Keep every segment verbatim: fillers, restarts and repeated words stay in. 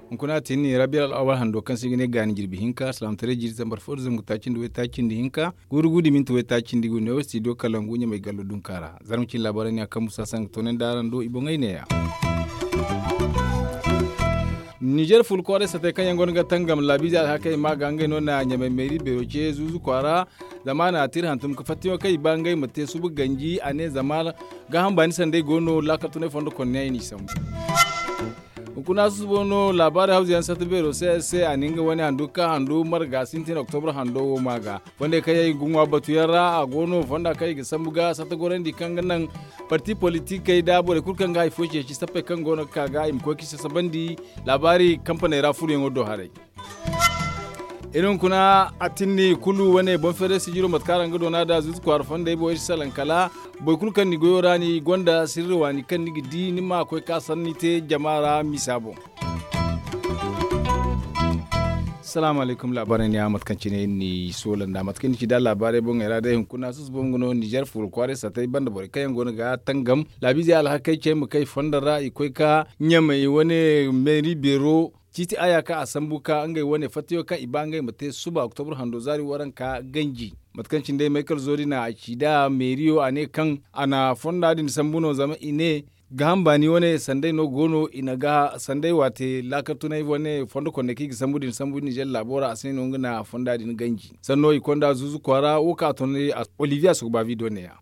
Hunkuna a te ni rabiya al'awal hando kaŋ se i ga ne gaani jirbi hinka salaamataray jiiri zambar fo da zangu taaci nda waytaaci nda hinka guuru guuru da minti waytaaci nda i go neewo stidiyo kalangu ɲamay gallo dunka ra. Zarma cine laabaarey ne a kaŋ musa sanga toonandi araŋ do i boŋey neeya. Nizer ful kwaaray satey kaŋ yaŋ go no ga tangam laabiizey alhakey ma ga ngey no na ɲamay meeri beero ce zuuzu kwaara. Zama a na a te iri hantum ga fattayaŋo kaŋ i ba ngey ma te suba ganji a ne zama gaaham baani sanday go no laakal tunay fondo konneyaŋ i n'i sambu. Hunkuna susubo no laabaari hawzu yaŋ satta beero se se a na nga wane handu ga ka handu marga sintin oktobra hando wo ma ga. Fonda kaŋ yaŋ i ga ŋwa batu yaŋ ra a go no fonda kaŋ i ga sambu ga satta gorandi kaŋ ga naŋ parti politikey nda borey kulu kaŋ ga hari fo ceeci sappey kaŋ go no ga ka ga i ma koy ga sasabandi laabaari kampaney ra furoyaŋo do haray. Iri hunkuna a tinni kulu wane boŋ feeray sijiro mate kaŋ araŋ ga doona da zuuzu kwaara fondey boŋ iri salaŋ kala boro kulu kaŋ ni goyo ra ni gonda sirri waani kaŋ ni ga di ni ma koy ka sanni te jama ra misa boŋ. Salaamu alaykum laabaarey ne a mate kaŋ cine iri n'i soola nda mate kaŋ ni ci da laabaarey boŋey ra day hunkuna susubo nga no nizer fuuro kwaaray satay banda borey kaŋ yaŋ go no ga tangam laabiizey alhakey cey ma kay fondo ra i koy ka ɲamay wane meeri beero ciiti aya kaŋ a sambu ka ngey wane fattayo kaŋ i ba ngey ma te suba oktobra hando zaari waranka ganji. Mate kaŋ cine day maykal zoori na a ci da meeriyo a ne kaŋ a na fonda din sambu no zama i ne gaaham baani wane sanday no go no i na ga sanday waate laakal tunay wane fondo konney kaŋ i ga sambu din sambu nizer laabo ra a se no nga na fonda din ganji sanno i konda zuuzu kwaara wo kaŋ a tun olivier a sugu baabi do neeya.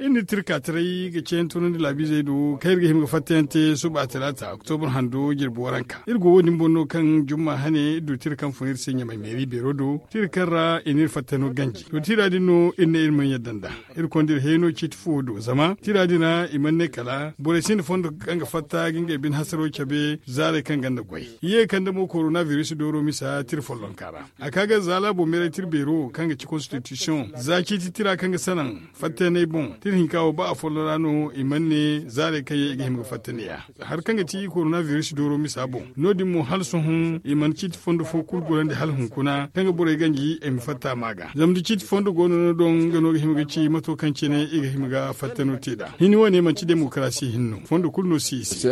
Iri na tirka taray ga ceeyaŋ tunandi laabiizey do kaŋ iri ga hima ga fattayaŋ te suba talaata oktobra hando jirbi waranka iri go wo- din boŋ no kaŋ jumma hane iri du tira kaŋ fun iri se ɲamay meeri beero do tira kaŋ ra i na iri fattano ganji to tira din no iri ne iri mana yadda nd'a. Iri konda iri hayno ciiti fo do zama tira din ra i mana ne kala borey sinda fondo kaŋ ga fatta ga ngey bine hasaro cabe zaarey kaŋ gonda goy i ye ga kande mo korona biris dooro misa tira follonka ra. A ka ga za laabo meeray tira beero kaŋ ga ci konstitisiyoŋ za ciiti tira kaŋ ga sanaŋ fattayaney boŋ tira hinka wo ba afollo ra no i mana ne zaarey kaŋ yaŋ i ga hima ga fatta neeya. Hari kaŋ ga ti korona biris dooro misa boŋ no- din mo hala sohõ i mana ciiti fondo fo kulu gorandi hala hunkuna kaŋ ga borey ganji i ma fatta ma ga zama da ciiti fondo go no no doŋ nga no ga hima ga ci mato kaŋ cine i ga hima ga fattano te nd'a hini wane manti demokarasi hinne no fondo kulu no si i se.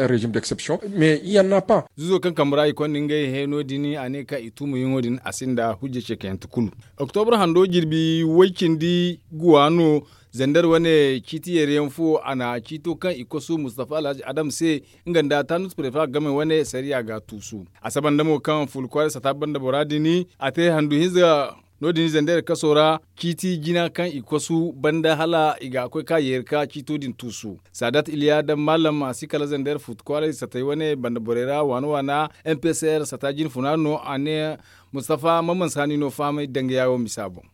Zuuzo kaŋ kambe ra i konda ngey hayno din a ne kaŋ i tuumayaŋo din a sinda hujja ceekayante kulu. Oktobra hando jirbi way cindi guwa no. Zander wane ciiti yeeriyaŋ fo a na ciito kaŋ i kosu mustafa alhaji adam se nga nda tanus prefa game wane sariya ga tuusu. A saba nda mo kaŋ ful kwaaray sata banda bora din a te handu hinza no- din zander kaso ra ciiti jina kaŋ i kosu banda hala i ga koy ka yeeri ka ciito din tuusu. Saadat iliya daŋ maalam a si kala zander fut kwaaray satay wane banda borey ra waana waana mpcr sata jina funa no a ne. Mustafa ma mansa ni no fahamay danga yaawo misa boŋ.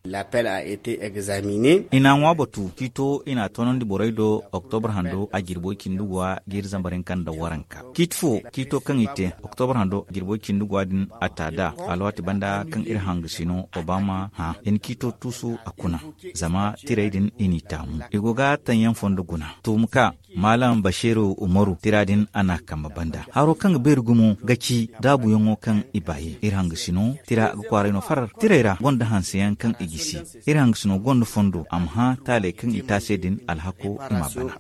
I n'a ŋwa batu ciito i n'a toonandi borey do oktobra hando a jirbo cindi guwa jiiri zambar hinka nda waranka ciiti fo ciito kaŋ i te oktobra hando jirbo cindi guwa din a ta da alwaati banda kaŋ iri hangasino obama hã i na ciito tuusu a kuna. Zama tirey din i n'i taamu i go ga taŋ yaŋ fondo guna tuuma ka maalam basiru umaru tira din a n'a kambe banda haro kaŋ ga beeri gumo ga ci daabuyaŋo kaŋ i baayi iri hangasino tira ga kwaaray no farar tirey ra gonda hanseyaŋ kaŋ i gisi. Iri hangasino gonda fondo a ma hã taaley kaŋ i te a se din alhako i m'a bana.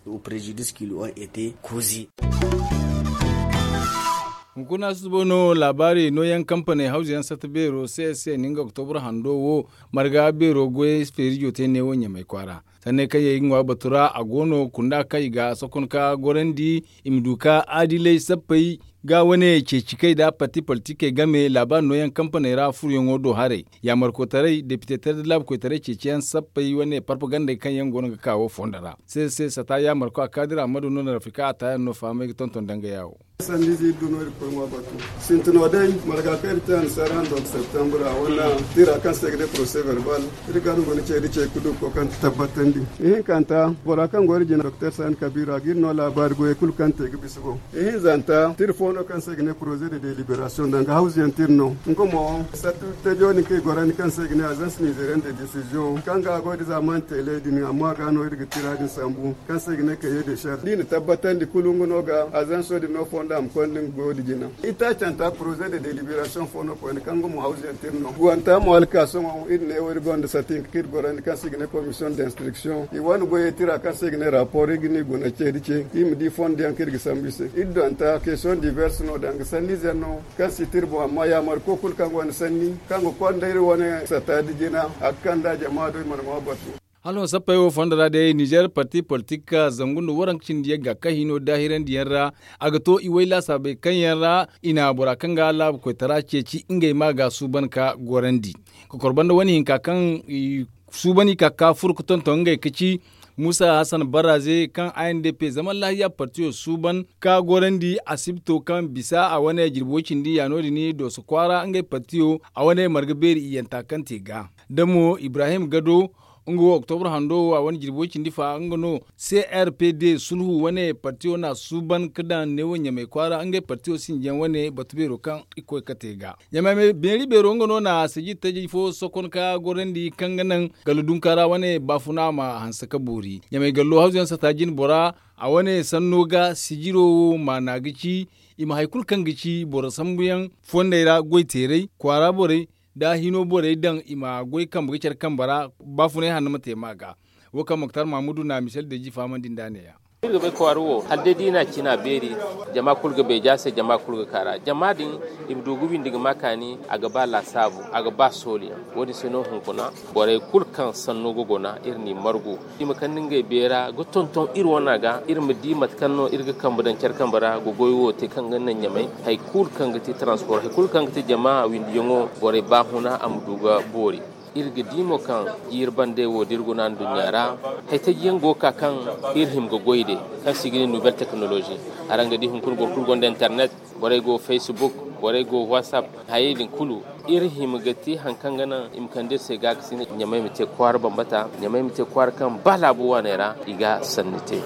Hunkuna susubo no laabaari nooyaŋ kampaney hawzu yaŋ satta beero se se ninga oktobra hando wo marga beero goyey feerijo te neewo ɲamay kwaara. Sanney kaŋ yaŋ i ga ŋwa batu ra a go no kunda kaŋ i ga sokon ka gorandi i ma du ka adilay sappey ga wane ceeci kay nda parti politikey game laabaari nooyaŋ kampaney ra furoyaŋo do haray yaamarkotaray depite taray nda laabukoytaray ceeciyaŋ sappey wane parpagandey kaŋ yaŋ go no ga ka wo fondo ra. Se se sata yaamarko a kaadira ammadu no na rafika a taayaŋ no fahamay ga tonton danga yaawo. Sanda ize iri du no iri ga koy ŋwa batu. Sintino day marga kaŋ iri te annasaara hando ga septembre a wane tira kaŋ se i ga ne procès verbal. Iri ga no guna ce da ce ga du ga koy kaŋ tabbatandi. Ihinkanta, bora kaŋ go iri jina doktor sani kabiira ga iri no laabaari goyey kulu kaŋ te ga bisa go. Ihinzanta tira fo no kaŋ se i ga ne proze de deliberasiyoŋ danga hawzuyaŋ tira no. Nga mo sattu tejo din kaŋ i gorandi kaŋ se i ga ne azans nizeriyaŋ de desiziyoŋ kaŋ ga a goy da zamani tele din amma ga no iri ga tira din sambu kaŋ se i ga ne kaye de shar da i na tabbatandi kulu nga no ga azanso din no fonda a ma konda nga goyo da jina. Itaacanta proze de deliberasiyoŋ fo no koyne kaŋ nga mo hawzuyaŋ tira no guwanta mo hala ka sohõ iri ne wo iri gonda sati hinka kaŋ iri gorandi kaŋ se i ga ne komisiyoŋ d'instriksiyoŋ i wane goyey tira kaŋ se i ga ne rapor iri ga ni guna ce da ce iri ma di fondo yaŋ kaŋ iri ga sambu i se. Iri donta kesiyoŋ diverse no danga sanniize yaŋ no kaŋ si tira boŋ amma yaamar ko kulu kaŋ gonda sanni kaŋ ga konda iri wane sata da jina a ga kand'a jama do i mana ŋwa batu. Hala no sappey wo fondo ra day nizer parti politik zangu nda waranka cindi yagga kaŋ hino daahirandiyaŋ ra a ga to i way laasaabey kaŋ yaŋ ra i na bora kaŋ ga laabu koytara ceeci ngey ma ga suuban ka gorandi. Kokor banda wane hinka kaŋ i suuban i ka ga ka furo ga tonton ngey ga ci muusa hasan barraze kaŋ a n d p zaman lahiya partiyo suuban ka gorandi asibto kaŋ bisa a wane jirbi way cindi ya no- din dooso kwaara ngey partiyo a wane marga beeri iyyanta kaŋ te ga da mo ibrahim gado nga wo oktobra hando wo a wane jirbi way cindi fa nga no c r p d sulhu wane partiyo na suuban ga daŋ neewo ɲamay kwaara ngey partiyo sinjiyaŋ wane batu beero kaŋ i koy ga te ga ɲamay beeri beero nga no na sijir taji fo sokon ka gorandi kaŋ ga naŋ gala dunkaara wane baafuna ma hanse ka boori ɲamay gallo hawzuyaŋ sata jine bora a wane sanno ga sijiro wo maana ga ci i ma hari kulu kaŋ ga ci boro sambuyaŋ fondey ra goy teeray kwaara borey da hino borey daŋ i ma goy kambe ga care kambe ra baafunay hanno ma te ma ga wo kaŋ moktar mahamudu na misel deeji fahamandi nd'a ne- ya. Iri ga bay kwaara wo hala day da i na a cina beeri jama kulu ga beeja se jama kulu ga kaara jama din i ma du ga windi ga ma kaani a ga ba laasaabu a ga ba sooliyaŋ wo- din se no hunkuna borey kulu kaŋ sanno ga guna iri n'i margu i ma kande ngey beera ga tonton iri wana ga iri ma di mate kaŋ no iri ga kambe daŋ care kambe ra ga goy wo te kaŋ ga naŋ ɲamay hari kulu kaŋ ga te transpor hari kulu kaŋ ga te jama windiyaŋo borey baahuna a ma du ga boori. Iri ga di mo kaŋ jiiri bandey wo da iri guna nduɲɲa ra hari taji yaŋ go ga ka kaŋ iri hima ga goy day kaŋ se i ga ne nouvelle technologie araŋ ga di hunkuna boro kulu gonda internet borey go facebook borey go whatsapp hayey din kulu iri hima ga te hari kaŋ ga naŋ i ma kande iri se gaakasinay ɲamay ma te kwaara bambata ɲamay ma te kwaara kaŋ ba laabu waaney ra i ga sanni te.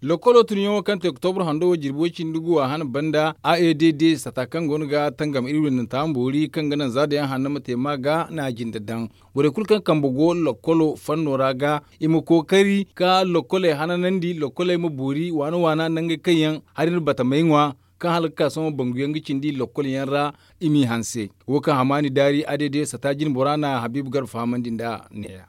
Lokkolo tunyaŋo kaŋ te oktobra hando wo jirbi way cindi gu a hana banda a e d d sata kaŋ go no ga tangam iri windanta ma boori kaŋ ga naŋ za dayaŋ hanno ma te ma ga na a jinde daŋ borey kulu kaŋ kambe go lokkolo fanno ra ga i ma kookari ka lokkoley hananandi lokkoley ma boori waana waana nangey kaŋ yaŋ hari nda batamey ŋwa kaŋ hala ga ka sohõ bangu yaŋ ga cindi lokkol yaŋ ra i m'i hanse. Wo kaŋ hamaani daari a day day sata jine bora na habiibu garba fahamandi nd'a ne- ya.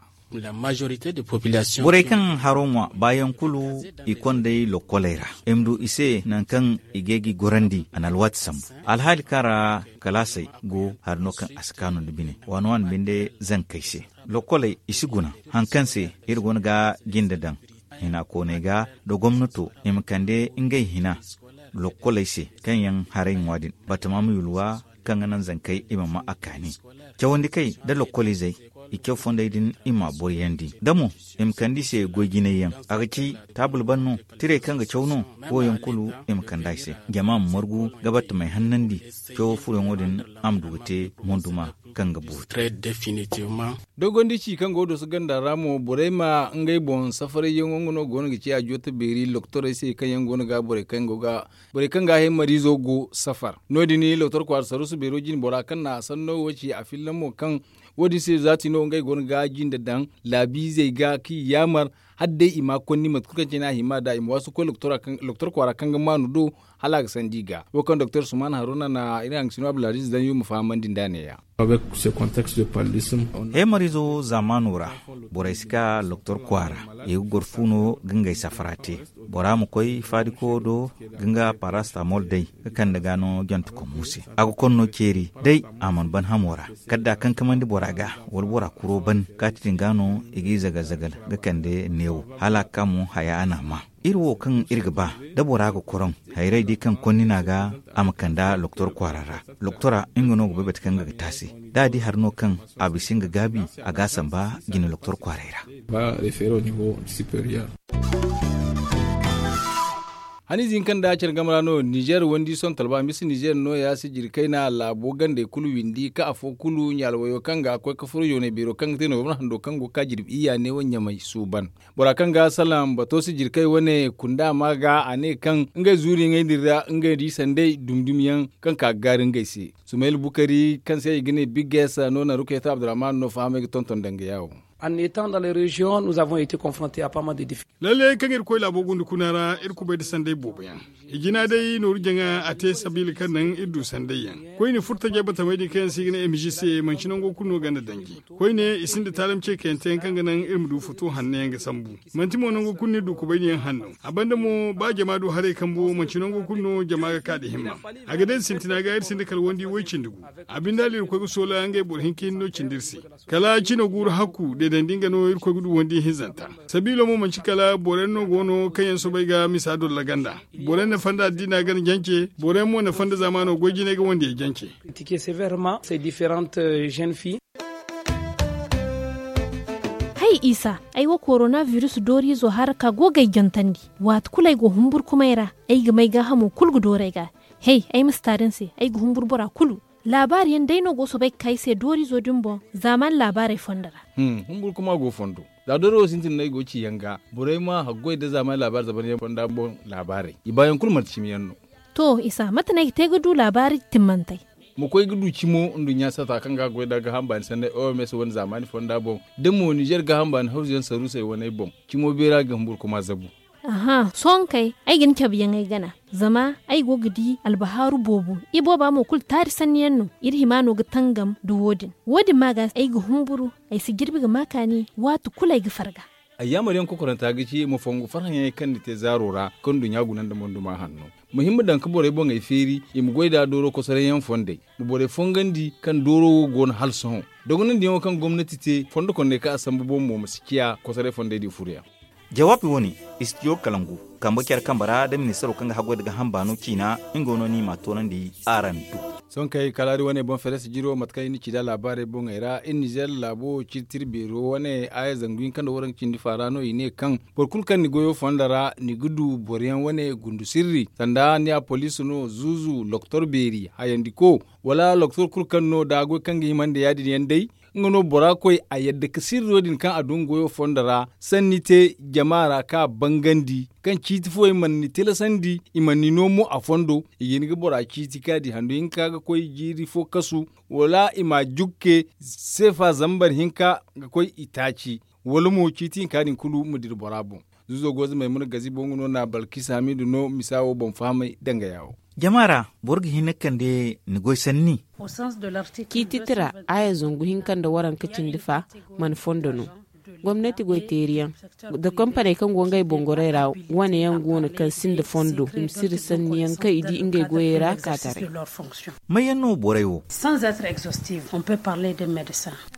Borey kaŋ haro ŋwa baayaŋ kulu i kond'ey lokkoley ra i ma du i se nangu kaŋ i ga ay g'i gorandi a na alwaati sambu alhaali kaŋ ra kalaasey go hari no kaŋ a si kaanu nda bine waani waani binde zankey se lokkoley i si guna hari kaŋ se iri go no ga jinde daŋ hina kooney ga nda gomnato i ma kande ngey hina lokkoley se kaŋ yaŋ haray ŋwa din batama ma yulwa kaŋ ga naŋ zankey i ma ma a kaani cawandi kay nda lokkoliizey i caw fondey din i ma a boryandi da mo i ma kande i se goy jinay yaŋ a ga ci taabul ban no tirey kaŋ ga caw no wo yaŋ kulu i ma kande a i se jama ma margu ga battamey hannandi cawo furoyaŋo din a ma du ga te monduma kaŋ ga boori. Dogondici kaŋ go ga dooso ganda ra mo borey ma ngey boŋ safarayyaŋo nga no go no ga ci a joote beeri loktorey se kaŋ yaŋ go no ga borey kaŋ go ga borey kaŋ ga a hay mariizo go safar no- din loktor kwaara saruusu beero jine bora kaŋ na a sanno wo ci a fillaŋ mo kaŋ wo- din se zaati no ngey go no ga jinde daŋ laabiizey ga kaŋ i yaamar hala day i ma konni mate kulu kaŋ cine a hima nd'a i ma waasu ga koy loktor kwaara kaŋ ga maanu do hala a ga sandi i ga wo kaŋ doktor suman haruna na iri hangasino abdulaziz daŋ yo ma fahamandi nd'a ne- ya. Heemariizo zaamaano ra borey si ka loktor kwaara i ga goro fu no ga ngey safara te bora ma koy faadiko do ga nga parasitamol day ga kande ga no jantekom mu se a ga konno ceeri day a mana ban hamo ra kala da a kankamandi bora ga wala bora kuro ban kaati din ga no i g'i zagal-zagal ga kande neewo hala a ga ka mo haya a n'a ma iri wo kaŋ iri ga ba da bora ga koroŋ hayray di kaŋ konni no a ga a ma kand'a loktor kwaara ra loktora nga no ga bay bate kaŋ nga ga te a se da a di hari no kaŋ a bisa nga gaabi a g'a samba jine loktor kwaaray ra. Haniize hinka nda care game ra no nizer wandi sontal ba misa nizer no ya si jirkayna laabo gandey kulu windi ka afo kulu ɲaalwayo kaŋ ga koy ka furo yoonay beero kaŋ ga te no wabra hando kaŋ go ga ka jirbi iyya ne wo ɲamay suuban. Bora kaŋ ga salaŋ bato si jirkay wane kunda ma ga a ne kaŋ ngey zuuri ngey din ra ngey di sanday dumdum yaŋ kaŋ ka ga gaari ngey se. Sumayil bukari kaŋ se i ga ne big s no na rukayta abdurrahman no fahamay ga tonton danga yaawo. Lalle kaŋ iri koy laabo gunda kuna ra iri kubay nda sanday boobo yaŋ. I jina day nooru jaŋa a te sabiila kaŋ naŋ iri du sanday yaŋ. Koyne furtajey batamey din kaŋ yaŋ se i ga ne m g c manci nango kulu no ganda danji. Koyne i sinda taalam ce kayante kaŋ ga naŋ iri ma du foto hanno yaŋ ga sambu. Manti mo nango kulu no iri du kubay din yaŋ hanno. A banda mo ba jama du haray kambo manci nango kulu no jama ga ka da himma. A ga day sintina ga iri sinda kala wandi way cindi gu. A binde hala iri koy ga soola ngey boro hinka hinne no cindi iri se. Kala cino guuru hakku deedandi nga no iri koy ga du wandi hinzanta. Sabiilo mo manci kala boro yaŋ no go no kaŋ yaŋ soobay ga misa dolla ganda. Boro yaŋ na fanda addiina gana jance boro yaŋ mo na fanda zaamaano goy jinay ga wandiyey jance. Hay isa, ay wo korona biris dooriizo hara ka go ga ay jantandi. Waati kulu ay go humburkumay ra, ay ga may gaahamo kulu ga dooru ay ga. Hay, ay ma si taari ni se, ay ga humburu bora kulu. Laabaari yaŋ day no go soobay ga ka ay se dooriizo din boŋ zaamaani laabaarey fondo ra. Humburkuma go fondo. Za dooro wo sintin no ay go ga ci yaŋ ga, borey ma haggoy nda zaamaani laabaari zabar yaŋ fonda boŋ laabaarey i baayaŋ kulu manti cimi yaŋ no. To isa mate no ay ga te ga du laabaari timmantey? Ma koy ga du cimo nduɲɲa sata kaŋ ga goy nda gaaham baani sanney o m s wane zaamaani fonda boŋ. Da mo nizer gaaham baani hawzu yaŋ saruusey waney boŋ, cimo beera ga humburkuma zabu. Aha sohõ kay, ay ga ni cabe yaŋ ay gana. Zama ay go ga di albahaaru boobo. Ibooba mo kulu taari sanni yaŋ no. Iri hima no ga tangam nda wo- din. Wo- din ma ga ay ga humburu. Ay si jirbi ga ma kaani waati kulu ay ga farga. Ay yaamar yaŋ kokoranta ga ci ma fongu farhã yaŋey kaŋ ni te zaaro ra kaŋ nduɲɲa guna nda monduma hanno. Ma hima daŋ ga borey boŋey feeri i ma goy nd'a dooro kosoray yaŋ fondey. Ma borey fongandi kaŋ dooro wo go no hala sohõ. Dogonandiyaŋo kaŋ gomnati te fondo konney kaŋ a sambu boŋ mo ma si ciya kosoray fondey din furo yaŋ. Jawaabi wo- ne, istijo kalangu kambe care kambe ra nda ministaro kaŋ ga haggoy nda gaaham baano ciina. Nga wo no no i m'a toonandi araŋ do. Sohõ kay kalaari wane boŋ feres jiro mate kaŋ i na ci nd'a laabaarey boŋey ra iri nizer laabo wo ciiti iri beero wane aaya zangu hinka nda waranka cindi faara no i ne kaŋ boro kulu kaŋ ni goyo fondo ra ni ga du boro yaŋ wane gundu sirri sanda ni ya poliisi no zuuzu loktor beeri hayandiko, wala loktor kulu kaŋ no da a goy kaŋ ga hima nda ya- din yaŋ day. Nga no bora koy a yadda ga sirro din kaŋ a du nga goyo fondo ra sanni te jama ra kaŋ a bangandi kaŋ ciiti fooyaŋ mana ni tilasandi i mana ni no mo a fondo. I ga hin ga bora ciiti kaŋ a di handu hinka ga koy jiiri fo kasu wala i ma a jukke seefa zambar hinka ga koy i taaci wala mo ciiti hinka din kulu ma dira bora boŋ. Zuuzo goza maymuna gazi boŋ nga no na balkis hamidu no misa wo boŋ fahamay danga yaawo. Jama ra boro ga hin ga kande ni goy sanni. Ciiti tira aaya zangu hinka nda waranka cindi fa mana fondo no. Gomnati goyteeri yaŋ nda kompaney kaŋ go ngey boŋ goray ra wane yaŋ go no kaŋ sinda fondo i ma sirri sanni yaŋ kaŋ i di ngey goyey ra ka taray. May yaŋ no borey wo?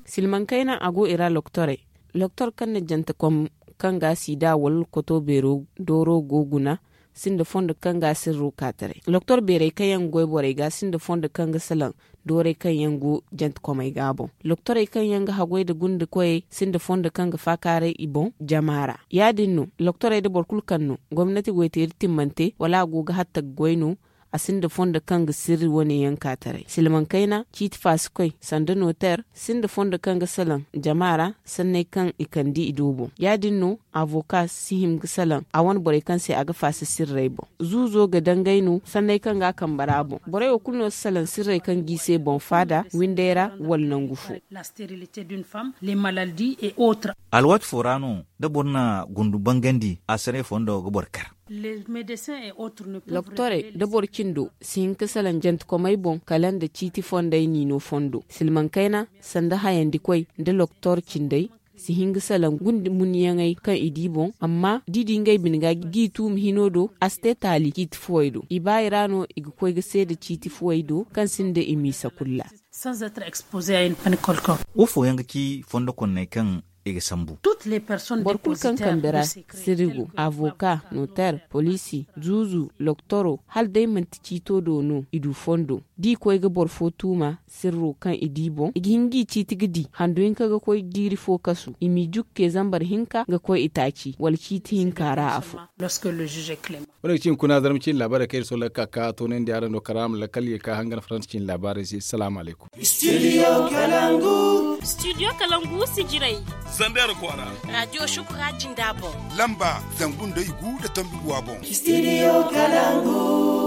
Silmaŋ kayna a go i ra loktorey. Loktor kaŋ na jantekom kaŋ ga sida wala koto beero dooro go guna sinda fondo kaŋ ga sirru ka taray loktor beerey kaŋ yaŋ ga goy borey ga sinda fondo kaŋ ga salaŋ doorey kaŋ yaŋ go jantekomey ga boŋ. Loktorey kaŋ yaŋ ga haggoy nda gunda koyey sinda fondo kaŋ ga faakaaray i boŋ jama ra. Ya- din no loktorey nda boro kulu kaŋ no gomnati goyteeri timmante wala a go ga hatta ga goy no. A sinda fondo kaŋ ga sirri wane yaŋ ka taray silmaŋ kayna ciiti faasikoy sanda noteer sinda fondo kaŋ ga salaŋ jama ra sanney kaŋ i kande i do boŋ. Ya- din no avoka si hin ga salaŋ a wane borey kaŋ se a ga faasa sirrey boŋ. Zuuzo ga dangay no sanney kaŋ ga a kambe ra boŋ borey wo kulu no si salaŋ sirrey kaŋ g'i se boŋ faada windey ra wala nangu fo. Alwaati fo ra no da boro na gundu bangandi a sanney fondo ga boro kar. Loktorey nda boro cindo si hin ga salaŋ jantekomey boŋ kala nda ciiti fondey niino fondo silmaŋ kayna sanda hayandikoy nda loktor cindey si hin ga salaŋ gunde munyaŋey kaŋ i di boŋ amma da i di ngey bine ga g'i tuumi hino do a si te taali ciiti fuwey do i ba i ra no i ga koy ga seeda ciiti fuwey do kaŋ sinda i miisa kulu ra. Wo fooyaŋ ga ci fondo konney kaŋ i ga sambu? Boro kulu kaŋ kambe ra sirri go avoka noteer poliisi zuuzu loktoro hala day manti ciito do no i du fondo. da i koy ga boro fo tuuma sirro kaŋ i di boŋ, i ga hin ga i ciiti ga di handu hinka ga koy jiiri fo kasu, i m'i jukke zambar hinka ga koy itaaci wala ciiti hinka ra afo. Wane ga ci hunkuna zarma ciine laabaarey kaŋ iri sohõ lakkal ka ka toonandi araŋ do karaama lakkal ye ka hangan faransa ciine laabaarey se salaamu alaykum. Studio kalangu. Studio kalangu si jiray. Zander kwaara. Raadiyo shukura jinda boŋ. Lamba zangu nda i gu nda tombi guwa boŋ. Studio kalangu.